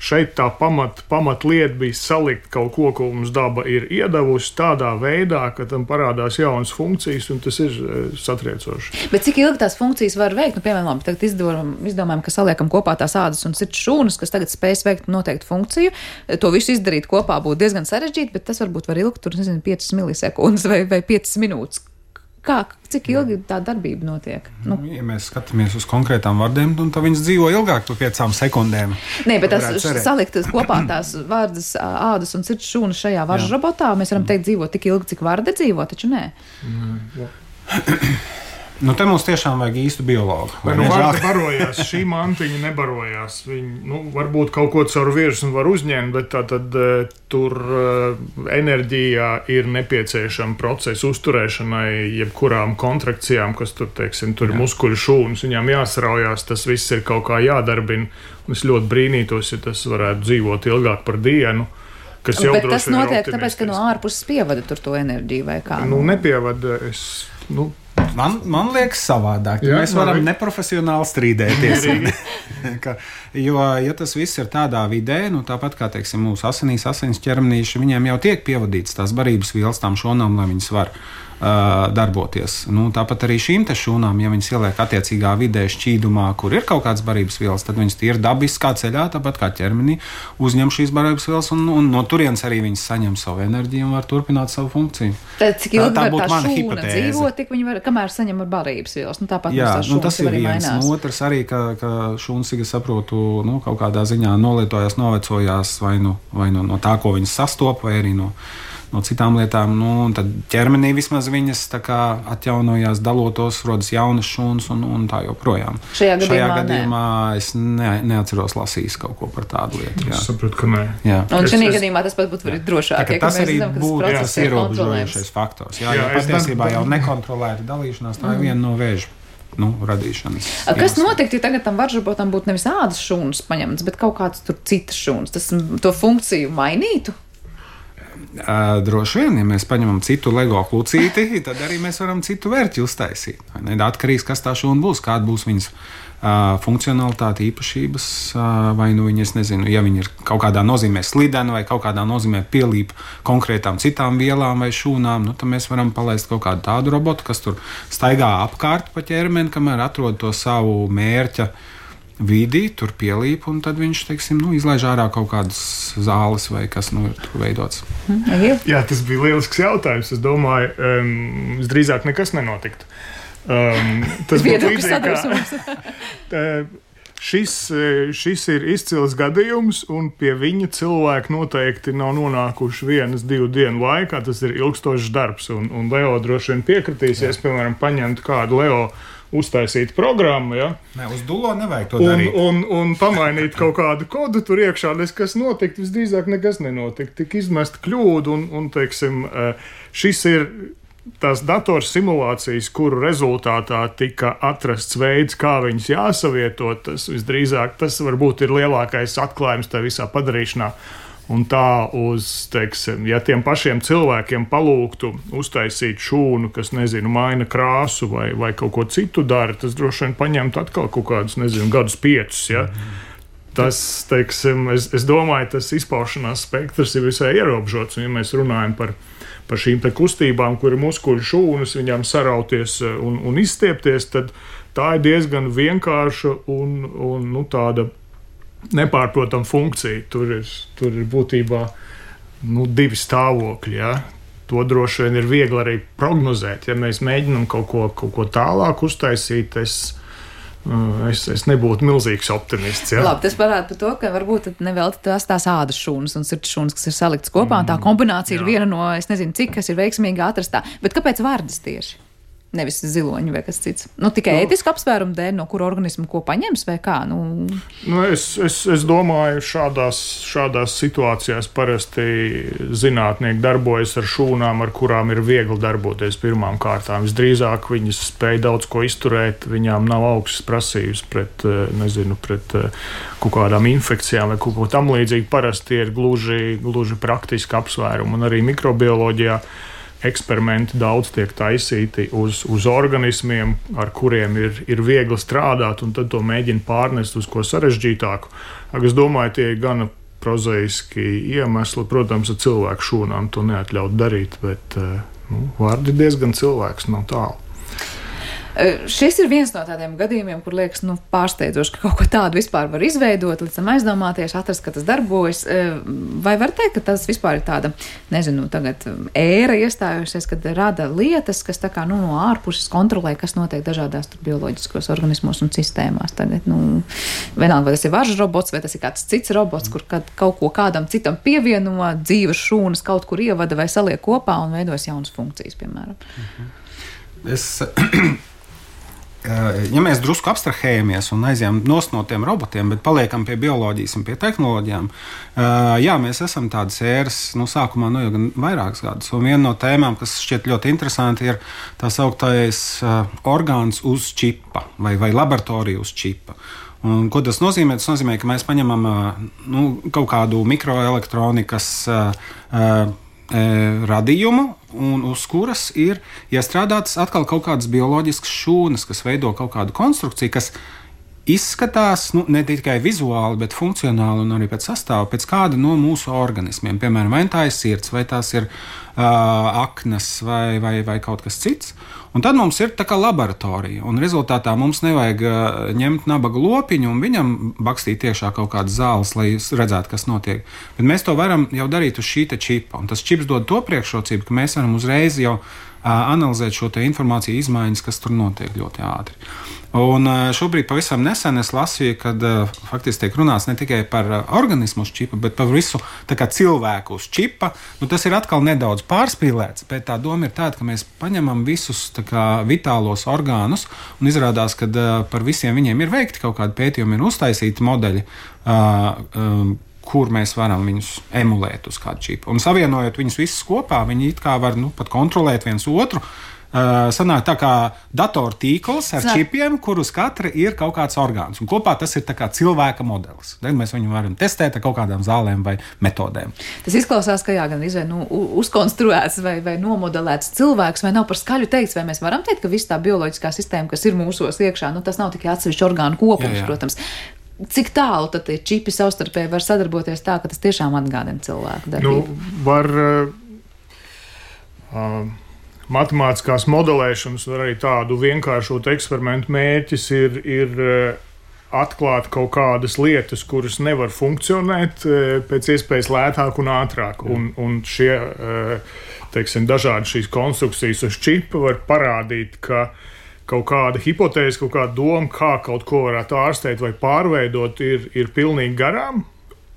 S6: šeit tā pamat, pamat lieta bija salikt kaut ko, ko mums daba ir iedavusi tādā veidā, ka tam parādās jaunas funkcijas, un tas ir satriecoši.
S2: Bet cik ilgi tās funkcijas var veikt? Nu, piemēram, tagad izdomājam, izdomājam, ka saliekam kopā tās ādas un sirds šūnas, kas tagad spējas veikt noteiktu funkciju. To visu izdarīt kopā būtu diezgan sarežģīti, bet tas varbūt var ilgt, tur, nezinu, piecas milisekundes vai, vai piecas minūtes. Kā, cik ilgi tā darbība notiek? Nu.
S5: Ja mēs skatāmies uz konkrētām vārdiem, tad viņas dzīvo ilgāk par piecām sekundēm.
S2: Nē, bet tas salikt kopā tās vārdas, ādas un sirds šūnas šajā varžu robotā, mēs varam teikt dzīvo tik ilgi, cik varde dzīvo, taču nē.
S6: Mm, jā.
S5: Nu, te mums tiešām vajag īstu biologu.
S6: Nu, varda barojās, šī mantiņa nebarojās. Viņi, nu, varbūt kaut ko caur virsmu var uzņemt, bet tā tad uh, tur uh, enerģijā ir nepieciešama procesa uzturēšanai, jebkurām kontrakcijām, kas tur, teiksim, tur ir muskuļu šūnas, viņām jāsaraujās, tas viss ir kaut kā jādarbina. Un es ļoti brīnītos, ja tas varētu dzīvot ilgāk par dienu. Kas jau
S2: bet tas notiek tāpēc, ka no ārpuses pievada tur to enerģiju vai kā?
S6: Nu, nepievada, es, nu,
S5: Man, man liekas savādāk, ja mēs varam arī neprofesionāli strīdēties. ka, jo, ja tas viss ir tādā vidē, nu, tāpat kā, teiksim, mūsu asinīs, asins ķermenīši, viņiem jau tiek pievadīts tās barības vielas tām šūnām, lai viņas var uh, darboties. Nu, tāpat arī šīm te šūnām, ja viņas ieliek attiecīgā vidē šķīdumā, kur ir kaut kādas barības vielas, tad viņas ir dabiskā ceļā, tāpat kā ķermenī, uzņem šīs barības vielas un, un no turienes arī viņas saņem savu enerģiju un var turpināt savu funkciju.
S2: Tad cik ilgi
S5: tā, tā
S2: var tā šūna
S5: hipotēze.
S2: dzīvot, tik viņi var, kamēr saņem ar barības vielas. Nu, tāpat
S5: Jā,
S2: mums
S5: nu,
S2: tā
S5: tas ir viens.
S2: mainās.
S5: Nu, otrs arī, ka, ka šūnas, cik es saprotu, nu, kaut kādā ziņā nolietojās, novecojās vai, nu, vai nu, no tā, ko viņas sastopa, vai arī no, no citām lietām. Nu, tad ķermenī vismaz viņas tā kā atjaunojās, dalotos, rodas jaunas šūnas un, un tā joprojām.
S2: Šajā gadījumā,
S5: Šajā gadījumā es ne, neatceros lasījis kaut ko par tādu lietu. Jā.
S6: Es saprotu, ka nē.
S5: Jā.
S2: Un šajā
S6: es,
S2: gadījumā tas pat būtu arī drošāk.
S5: Tā,
S2: Ja,
S5: tas arī
S2: zinām,
S5: būtu tas ierobežojošais faktors. Jā, jā, patiesībā jau nekontrolēta dalīšanās, tā ir viena no vēža. Nu, radīšanas.
S2: Kas notiktu, ja tagad tam varžrobotam būtu nevis ādas šūnas paņemtas, bet kaut kāds tur citas šūnas? Tas to funkciju mainītu?
S5: Uh, droši vien, ja mēs paņemam citu LEGO klucīti, tad arī mēs varam citu vērķi uztaisīt. Atkarīgs, kas tā šūna būs, kāda būs viņas uh, funkcionalitāte, īpašības, uh, vai nu viņi, es nezinu, ja viņi ir kaut kādā nozīmē slideni vai kaut kādā nozīmē pielīp konkrētām citām vielām vai šūnām, nu, tad mēs varam palaist kaut kādu tādu robotu, kas tur staigā apkārt pa ķermeni, kamēr atrod to savu mērķa vidi, tur pielīp, un tad viņš, teiksim, nu, izlaiž ārā kaut kādas zāles vai kas, nu, ir tur veidots.
S6: Jā, tas bija lielisks jautājums. Es domāju, um, drīzāk nekas nenotiktu. Um, tas būtu līdzīgi kā... Šis, šis ir izcils gadījums, un pie viņa cilvēki noteikti nav nonākuši vienas, divu dienu laikā. Tas ir ilgstošs darbs, un, un Leo droši vien piekritīs, ja es, piemēram, paņemtu kādu Leo uztaisīt programmu, ja?
S5: Nē, uz dulo nevajag to
S6: un,
S5: darīt.
S6: Un, un pamainīt kaut kādu kodu tur iekšā, kas notikt, visdrīzāk nekas nenotikt. Tik izmest kļūdu, un, un teiksim, šis ir tās dators simulācijas, kuru rezultātā tika atrasts veids, kā viņas jāsavieto. Tas visdrīzāk, tas varbūt ir lielākais atklājums tā visā padarīšanā. Un tā uz, teiksim, ja tiem pašiem cilvēkiem palūgtu uztaisīt šūnu, kas, nezinu, maina krāsu vai, vai kaut ko citu dara, tas droši vien paņemtu atkal kaut kādus, nezinu, gadus piecus, ja. Tas, teiksim, es, es domāju, tas izpaušanās spektrs ir visai ierobežots, un ja mēs runājam par, par šīm te kustībām, kur ir muskuļu šūnas, viņām sarauties un, un izstiepties, tad tā ir diezgan vienkārša un, un nu, tāda nepārprotama funkcija. Tur ir, tur ir būtībā nu, divi stāvokļi. Ja? To droši vien ir viegli arī prognozēt. Ja mēs mēģinām kaut ko, kaut ko tālāk uztaisīt, es, es, es nebūtu milzīgs optimists. Ja?
S2: Labi, tas parāda par to, ka varbūt nevelti tās tās ādas šūnas un sirds šūnas, kas ir saliktas kopā, un tā kombinācija mm, ir viena no, es nezinu, cik, kas ir veiksmīgi atrastā. Bet kāpēc vardas tieši? Nevis ziloņi vai kas cits. Nu, tikai nu, ētisku apsvērumu dēļ, no kura organismu ko paņems vai kā? Nu...
S6: Nu, es, es, es domāju, šādās, šādās situācijās parasti zinātnieki darbojas ar šūnām, ar kurām ir viegli darboties pirmām kārtām. Visdrīzāk viņas spēj daudz ko izturēt, viņām nav augstas prasības pret, nezinu, pret kaut kādām infekcijām vai kaut ko tam līdzīgi. Parasti ir gluži, gluži praktiski apsvērumi, un arī mikrobioloģijā eksperimenti daudz tiek taisīti uz, uz organismiem, ar kuriem ir, ir viegli strādāt, un tad to mēģina pārnest uz ko sarežģītāku. Es domāju, tie ir gana prozaiski iemesli. Protams, ar cilvēku šūnām to neatļaut darīt, bet nu, vārdi diezgan cilvēks nav tālu.
S2: Šis ir viens no tādiem gadījumiem, kur liekas nu, pārsteidzoši, ka kaut ko tādu vispār var izveidot, līdz tam aizdomāties, atrast, ka tas darbojas. Vai var teikt, ka tas vispār ir tāda, nezinu, tagad ēra iestājusies, kad rada lietas, kas tā kā nu, no ārpuses kontrolē, kas notiek dažādās tur bioloģiskos organismos un sistēmās. Tagad, nu, vienalga, vai tas ir varžu robots, vai tas ir kāds cits robots, kur kad kaut ko kādam citam pievieno, dzīves šūnas kaut kur ievada vai saliek kopā un veidos jaunas funkcijas, piemēram.
S5: Es... Ja mēs drusku abstrahējamies un aizjām nost no tiem robotiem, bet paliekam pie bioloģijas un pie tehnoloģijām, jā, mēs esam tādas ēras, nu, sākumā nu, jau gan vairākas gadus. Un viena no tēmām, kas šķiet ļoti interesanti, ir tā sauktais orgāns uz čipa vai, vai laboratorija uz čipa. Un, ko tas nozīmē? Tas nozīmē, ka mēs paņemam nu, kaut kādu mikroelektronikas radījumu, un uz kuras ir iestrādātas atkal kaut kādas bioloģiskas šūnas, kas veido kaut kādu konstrukciju, kas izskatās nu, ne tikai vizuāli, bet funkcionāli un arī pēc sastāva, pēc kāda no mūsu organismiem. Piemēram, vai tā ir sirds, vai tās ir uh, aknas vai, vai, vai kaut kas cits. Un tad mums ir tā kā laboratorija, un rezultātā mums nevajag uh, ņemt nabaga lopiņu un viņam bakstīt iekšā kaut kādas zāles, lai redzētu, kas notiek. Bet mēs to varam jau darīt uz šī te čipa, un tas čips dod to priekšrocību, ka mēs varam uzreiz jau uh, analizēt šo te informāciju izmaiņas, kas tur notiek ļoti ātri. Un šobrīd pavisam nesen es lasīju, kad uh, faktiski tiek runāts ne tikai par uh, organismu uz čipa, bet par visu tā kā cilvēku uz čipa. Nu, tas ir atkal nedaudz pārspīlēts, bet tā doma ir tāda, ka mēs paņemam visus tā kā vitālos orgānus un izrādās, ka uh, par visiem viņiem ir veikti kaut kādi pētījumi, ir uztaisīti modeļi, uh, um, kur mēs varam viņus emulēt uz kādu čipu. Un savienojot viņus visus kopā, viņi it kā var nu, pat kontrolēt viens otru. Uh, sanāk tā kā datortīkls ar Sanāk. čipiem, kur uz katra ir kaut kāds orgāns. Un kopā tas ir tā kā cilvēka modelis. Tad mēs viņu varam testēt ar kaut kādām zālēm vai metodēm.
S2: Tas izklausās, ka jā, gan izvēl, nu, uzkonstruēts vai, vai nomodelēts cilvēks, vai nav par skaļu teikts, vai mēs varam teikt, ka viss tā bioloģiskā sistēma, kas ir mūsos iekšā, nu, tas nav tikai atsevišķi orgānu kopums, jā, jā. Protams. Cik tālu tad tie čipi savstarpēji var sadarboties tā, ka tas tiešām atgādina cilvēku darbību?
S6: Nu, var... Uh, uh, Matemātiskās modelēšanas un arī tādu vienkāršotu eksperimentu mērķis ir, ir atklāt kaut kādas lietas, kuras nevar funkcionēt pēc iespējas lētāk un ātrāk. Un, un šie, teiksim, dažādi šīs konstrukcijas uz čipa var parādīt, ka kaut kāda hipotēze, kaut kāda doma, kā kaut ko varētu ārstēt vai pārveidot, ir, ir pilnīgi garām.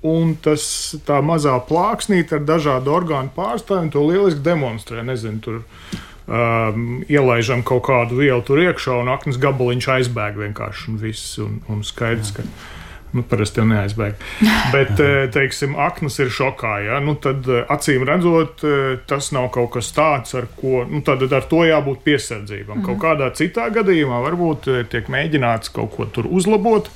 S6: Un tas tā mazā plāksnīte ar dažādu orgānu pārstāvjiem to lieliski demonstrē. Nezinu, tur um, ielaižam kaut kādu vielu tur iekšā un aknas gabaliņš aizbēg vienkārši un viss. Un, un skaidrs, ka nu, parasti jau neaizbēg. Bet, teiksim, aknas ir šokā, ja? Nu, tad acīm redzot, tas nav kaut kas tāds, ar ko, nu, tad ar to jābūt piesardzībam. Mm. Kaut kādā citā gadījumā varbūt tiek mēģināts kaut ko tur uzlabot.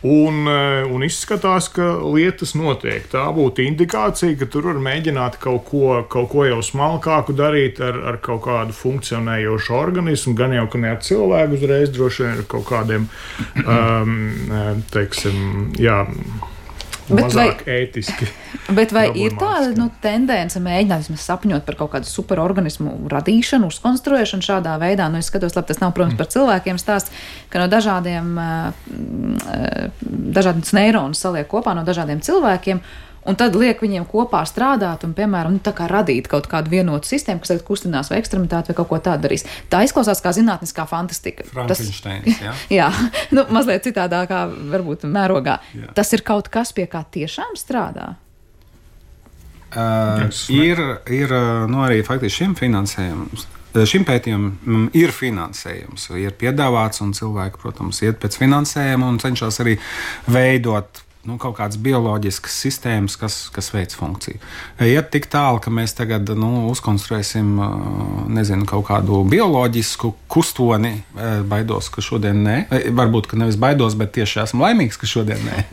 S6: Un, un izskatās, ka lietas notiek. Tā būtu indikācija, ka tur var mēģināt kaut ko, kaut ko jau smalkāku darīt ar, ar kaut kādu funkcionējošu organismu, gan jau, ka ne ar cilvēku uzreiz, droši vien ar kaut kādiem, um, teiksim, jā, mazāk vai, ētiski.
S2: Bet vai ir tāda nu, tendence mēģināt sapņot par kaut kādu superorganismu radīšanu, uzkonstruēšanu šādā veidā? Nu, es skatos, labi, tas nav, protams, par cilvēkiem stāsts, ka no dažādiem, dažādiem neironus saliek kopā no dažādiem cilvēkiem, un tad liek viņiem kopā strādāt un, piemēram, nu, tā kā radīt kaut kādu vienotu sistēmu, kas tagad kustinās vai ekstremitāti vai kaut ko tādu darīs. Tā izklausās kā zinātniskā fantastika.
S5: Frankensteins, jā.
S2: Jā, nu, mazliet citādākā, varbūt mērogā. Jā. Tas ir kaut kas, pie kā tiešām strādā?
S5: Uh, ir, ir, nu, arī faktiski šim finansējums. Šim pētījumam ir finansējums, ir piedāvāts, un cilvēki, protams, iet pēc finansējuma un cenšas arī veidot nu, kaut kādas bioloģiskas sistēmas, kas, kas veic funkciju. Iet tik tālu, ka mēs tagad nu, uzkonstruēsim nezinu, kaut kādu bioloģisku kustoni. Baidos, ka šodien nē. Varbūt, ka nevis baidos, bet tieši esmu laimīgs, ka šodien nē.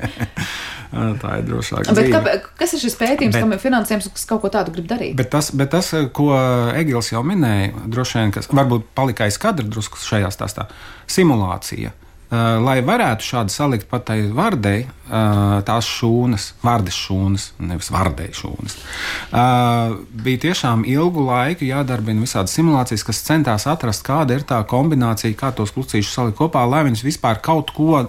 S5: Tā ir drošāka dzīve.
S2: Kāpēc, kas ir šis pētījums, bet, kam ir finansējums, kas kaut ko tādu grib darīt?
S5: Bet tas, bet tas ko Egils jau minēja, droši vien, kas varbūt palika aiz kadra drusku šajā stāstā, simulācija. Uh, lai varētu šādi salikt pat tai vardei, uh, tās šūnas, vardes šūnas, nevis vardei šūnas, uh, bija tiešām ilgu laiku jādarbina visādas simulācijas, kas centās atrast, kāda ir tā kombinācija, kā tos klucīšus salikt kopā, lai viņas vispār kaut ko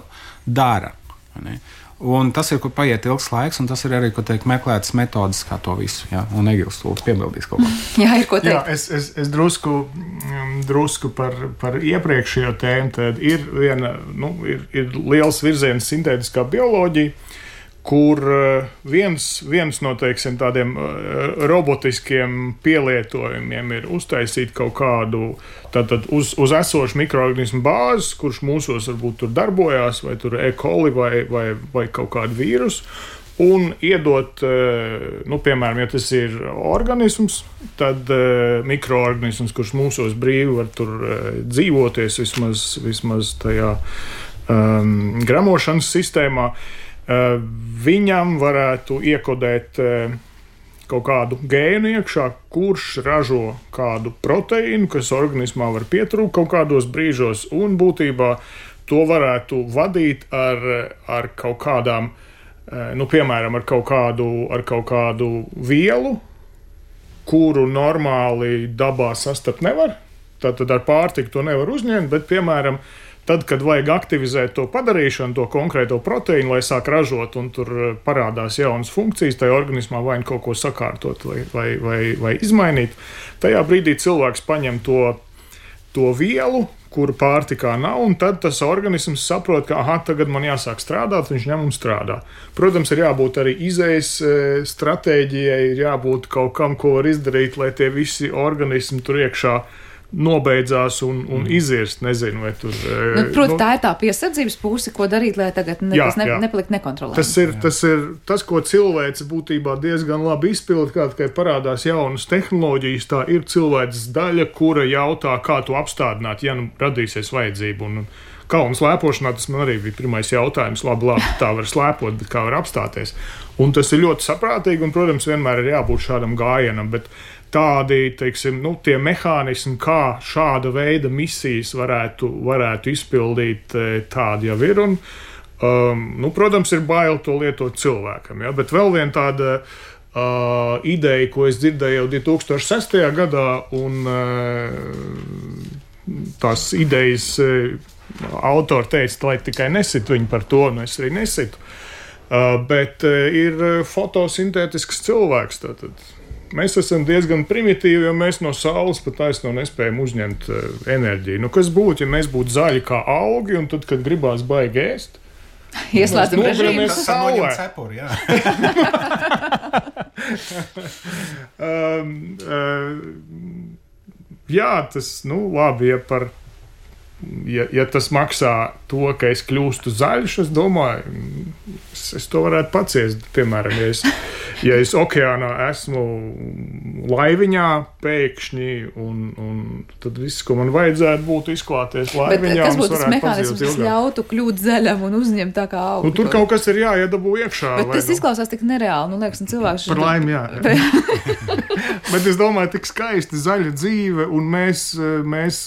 S5: dara. Ne? Un tas ir, kur paiet ilgs laiks, un tas ir arī, ko teikt, meklētas metodas, kā to visu. Jā, un Egils lūdzu piebildīs kaut ko.
S2: Jā, ir ko teikt.
S6: Jā, es, es, es drusku, drusku par, par iepriekšējo tēmu. Tad ir, viena, nu, ir, ir liels virziens sintētiskā bioloģija, kur viens, viens no teiksim, tādiem robotiskiem pielietojumiem ir uztaisīt kaut kādu tātad, uz, uz esošu mikroorganismu bāzes, kurš mūsos varbūt tur darbojās, vai tur E. coli vai, vai, vai kaut kādu vīrusu, un iedot, nu, piemēram, ja tas ir organisms, tad mikroorganisms, kurš mūsos brīvi var tur dzīvoties vismaz, vismaz tajā um, gramošanas sistēmā, Uh, viņam varētu iekodēt uh, kaut kādu gēnu iekšā, kurš ražo kādu proteīnu, kas organismā var pietrūkt kaut kādos brīžos, un būtībā to varētu vadīt ar, ar kaut kādām, uh, nu, piemēram, ar kaut kādu, ar kaut kādu vielu, kuru normāli dabā sastapt nevar. Tātad ar pārtiku to nevar uzņemt, bet, piemēram, tad, kad vajag aktivizēt to padarīšanu, to konkrēto proteīnu, lai sāk ražot, un tur parādās jaunas funkcijas, tajā organismā vai kaut ko sakārtot vai, vai, vai, vai izmainīt, tajā brīdī cilvēks paņem to, to vielu, kuru pārtikā nav, un tad tas organisms saprot, ka aha, tagad man jāsāk strādāt, viņš ņem un strādā. Protams, ir jābūt arī izējas stratēģijai, ir jābūt kaut kam, ko var izdarīt, lai tie visi organismi tur iekšā nobeidzās un, un mm. izirst, nezinu, vai tur...
S2: Nu, proti, nu, tā ir tā piesardzības puse, ko darīt, lai tagad ne, jā, tas ne, nepalikt nekontrolēts.
S6: Tas ir, tas ir tas, ko cilvēks būtībā diezgan labi izpild, kā tikai parādās jaunas tehnoloģijas, tā ir cilvēks daļa, kura jautā, kā to apstādināt, ja nu radīsies vajadzība. Un kalnu slēpošanā tas man arī bija pirmais jautājums, labi, labi, tā var slēpot, bet kā var apstāties. Un tas ir ļoti saprātīgi, un, protams, vienmēr ir jābūt šādam gājienam, bet tādi, teiksim, nu, tie mehānismi, kā šāda veida misijas varētu, varētu izpildīt, tādi jau ir. Un, um, nu, protams, ir bail to lietot cilvēkam, ja? Bet vēl viena tāda uh, ideja, ko es dzirdēju jau divi tūkstoši sestajā gadā, un uh, tās idejas uh, autori teica, lai tikai nesitu viņu par to, un es arī nesitu. Uh, bet uh, ir fotosintētisks cilvēks, tātad. Mēs esam diezgan primitīvi, jo mēs no saules pat taisno nespējam uzņemt uh, enerģiju. Nu, kas būtu, ja mēs būtu zaļi kā augi, un tad, kad gribās baigi ēst,
S2: ieslēdzam režīmu.
S5: Saulē. Cepuri, jā.
S6: um, uh, jā, tas, nu, labi, ja par Ja, ja tas maksā to, ka es kļūstu zaļš, es domāju, es, es to varētu paciest. Piemēram, ja es, ja es okeānā esmu laiviņā pēkšņi, un, un tad viss, ko man vajadzētu, būtu izklāties laiviņā.
S2: Bet kas būtu tas mehānisms, kas ļautu kļūt zaļam un uzņemt tā kā augu?
S6: Nu, tur kaut kas ir jāiedabū iekšā.
S2: Bet tas nu... izklausās tik nereāli, nu liekas, un cilvēks...
S6: Par laimi, jā. jā. Bet es domāju, tik skaisti zaļa dzīve, un mēs... mēs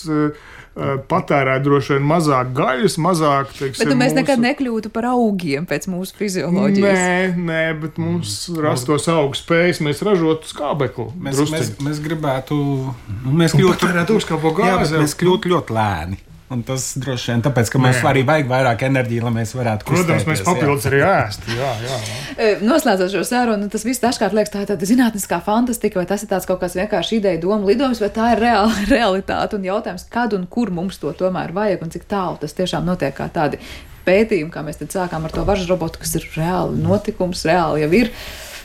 S6: patērēt droši vien mazāk gaļas, mazāk, teiksim,
S2: bet mēs
S6: mūsu...
S2: nekad nekļūtu par augiem pēc mūsu fizioloģijas.
S6: Nē, nē, bet mums mm. rastos augu spējas, mēs ražotu skābeklu.
S5: Mēs, mēs, mēs gribētu, nu, mēs kļūtu,
S6: patērēt uzkāpo gāzi.
S5: Jā, mēs kļūtu ļoti lēni. Un tas droši vien tāpēc, ka mums arī vajag vairāk enerģiju, lai mēs varētu kustēties.
S6: Protams, mēs papildus arī ēst. Jā, jā, jā.
S2: Noslēdzot šo sarunu, tas viss dažkārt liekas, tā ir tāda zinātniskā fantastika, vai tas ir tāds kaut kāds vienkārši ideja doma lidojums, vai tā ir reāla realitāte un jautājums, kad un kur mums to tomēr vajag un cik tālu tas tiešām notiek kā tādi pētījumi, kā mēs tad sākām ar to varžu robotu, kas ir reāli notikums, reāli jau ir.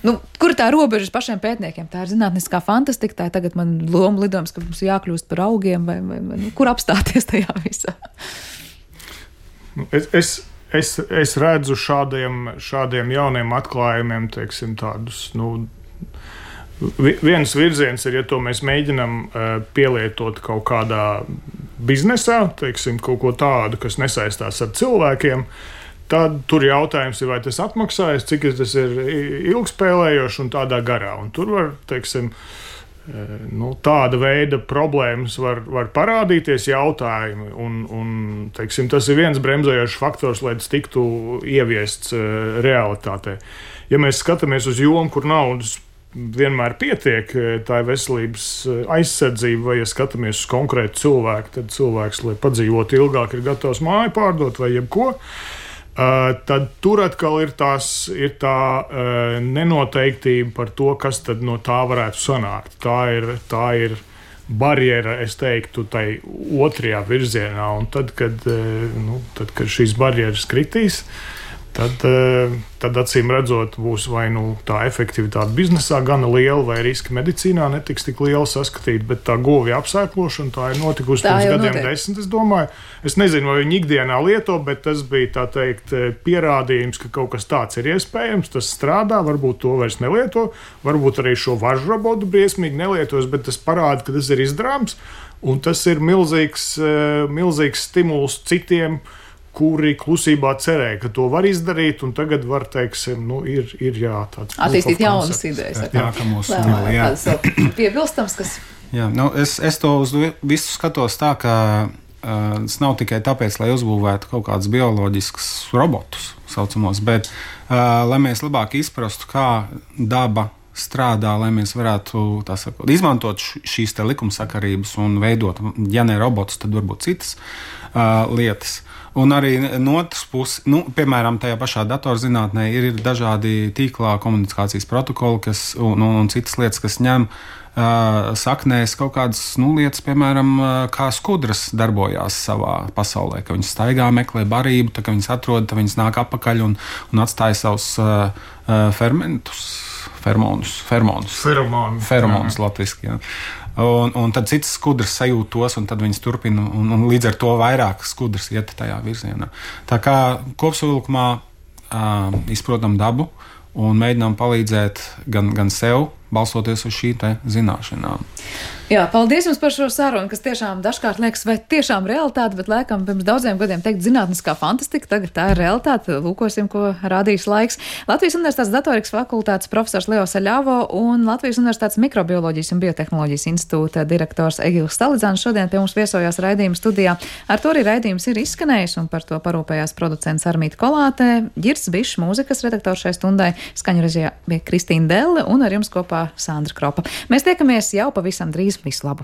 S2: Nu, kur ir tā robežas pašiem pētniekiem? Tā ir zinātniskā fantastika, tā ir tagad man loma lidojums, ka mums jākļūst par augiem, vai, vai, vai nu, kur apstāties tajā visā?
S6: Nu, es, es, es, es redzu šādiem, šādiem jauniem atklājumiem, teiksim, tādus, nu, viens virziens ir, ja to mēs mēģinam uh, pielietot kaut kādā biznesā, teiksim, kaut ko tādu, kas nesaistās ar cilvēkiem. Tad tur jautājums ir, vai tas atmaksājas, cik tas ir ilgspēlējoši un tādā garā. Un tur var, teiksim, nu, tāda veida problēmas var, var parādīties jautājumi. Un, un, teiksim, tas ir viens bremzējošs faktors, lai tas tiktu ieviests realitātē. Ja mēs skatāmies uz jomu, kur naudas vienmēr pietiek, tā ir veselības aizsardzība, vai ja skatāmies uz konkrētu cilvēku, tad cilvēks, lai padzīvotu ilgāk, ir gatavs māju pārdot vai jebko. Uh, tad tur atkal ir, tās, ir tā uh, nenoteiktība par to, kas tad no tā varētu sanākt. Tā ir, tā ir barjera, es teiktu, tai otrajā virzienā. Un tad, kad, uh, nu, tad, kad šīs barjeras kritīs, tad, uh, tad acīm redzot, būs vai nu tā efektivitāte biznesā gana liela, vai riski medicīnā netiks tik liela saskatīt, bet tā govja apsēklošana, tā ir notikusi pirms gadiem notiek. desmit, es domāju. Es nezinu, vai viņi ikdienā lieto, bet tas bija, tā teikt, pierādījums, ka kaut kas tāds ir iespējams, tas strādā, varbūt to vairs nelieto, varbūt arī šo važu robotu briesmīgi nelietos, bet tas parāda, ka tas ir izdarāms, un tas ir milzīgs, milzīgs stimuls citiem, kuri klusībā cerēja, ka to var izdarīt, un tagad var, teiksim, nu, ir, ir jā, tāds...
S2: Attīstīt jaunas idejas.
S5: Jā, jā, ka mūs nav, jā.
S2: Piebilstams, kas...
S5: Jā, nu, es, es to uz visu skatos tā, ka uh, tas nav tikai tāpēc, lai uzbūvētu kaut kādus bioloģiskus robotus, saucamos, bet uh, lai mēs labāk izprastu, kā daba strādā, lai mēs varētu, tā sakot, izmantot šīs te likumsakarības un veidot, ja ne robotus, tad varbūt citas uh, lietas. Un arī no otras puses, nu, piemēram, tajā pašā datorzinātnē ir dažādi tīklā komunikācijas protokoli, kas, un, un, un citas lietas, kas ņem uh, saknēs kaut kādas nu, lietas, piemēram, uh, kā skudras darbojās savā pasaulē, ka viņas staigā, meklē barību, tā, ka viņas atrod, tad viņas nāk apakaļ un, un atstāja savus uh, uh, fermentus, fermonus, fermonus,
S6: Feromoni.
S5: Feromonus latviski, jā. Un, un tad citas skudras sajūt tos, un tad viņas turpina, un, un līdz ar to vairāk skudras iet tajā virzienā. Tā kā kopsavilkumā uh, izprotam dabu un mēģinām palīdzēt gan, gan sev, balstoties uz šī te zināšanām.
S2: Jā, paldies jums par šo sarunu, kas tiešām dažkārt liekas, vai tiešām realitāte, bet laikam pirms daudziem gadiem teikt zinātniskā fantastika, tagad tā ir realitāte. Lūkosim, ko rādīs laiks. Latvijas Universitātes datorikas fakultātes profesors Leo Saļavo un Latvijas Universitātes mikrobioloģijas un biotehnoloģijas institūta direktors Egils Stalidzāns šodien pie mums viesojās raidījuma studijā. Ar to arī raidījums ir izskanējis, un par to parūpējās producents Armīta Kolātē, Ģirds Bišs, mūzikas redaktors šai stundai, skaņu režijā bija Kristīna Delle un ar jums kopā Sandra Kropa. Mēs tiekamies jau pavisam drīz. Visu labu!